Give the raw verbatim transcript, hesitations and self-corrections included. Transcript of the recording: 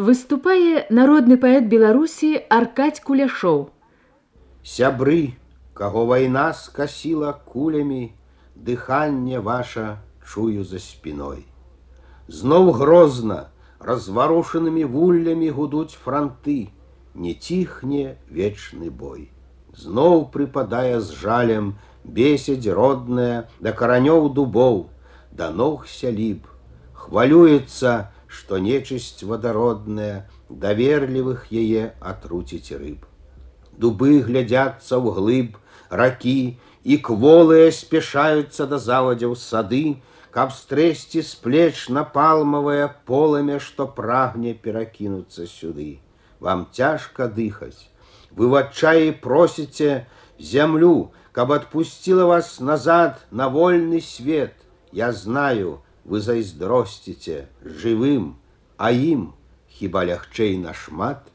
Выступае народны паэт Беларусі Аркадзь Куляшоў. Сябры, каго вайна скасіла кулямі, дыханне ваша чую за спиной. Зноў грозна, разварушанымі вуллямі гудуць франты, не ціхне вечны бой. Зноў прыпадае з жалем бесядь родная да каранёў дубоў, да ног сяліб, хвалюецца, што нечысць вадародная даверлівых яе атруціць рыб. Дубы глядзяцца ўглыб ракі, і кволыя спяшаюцца да завадзяў сады, каб стрэсці з плеч напалмавае полымя, што прагне перакінуцца сюды. Вам цяжка дыхаць, вы в адчаі просіце зямлю, каб адпусціла вас назад на вольны свет. Я знаю, вы зайздросціце жывым, а ім хіба лягчэй нашмат.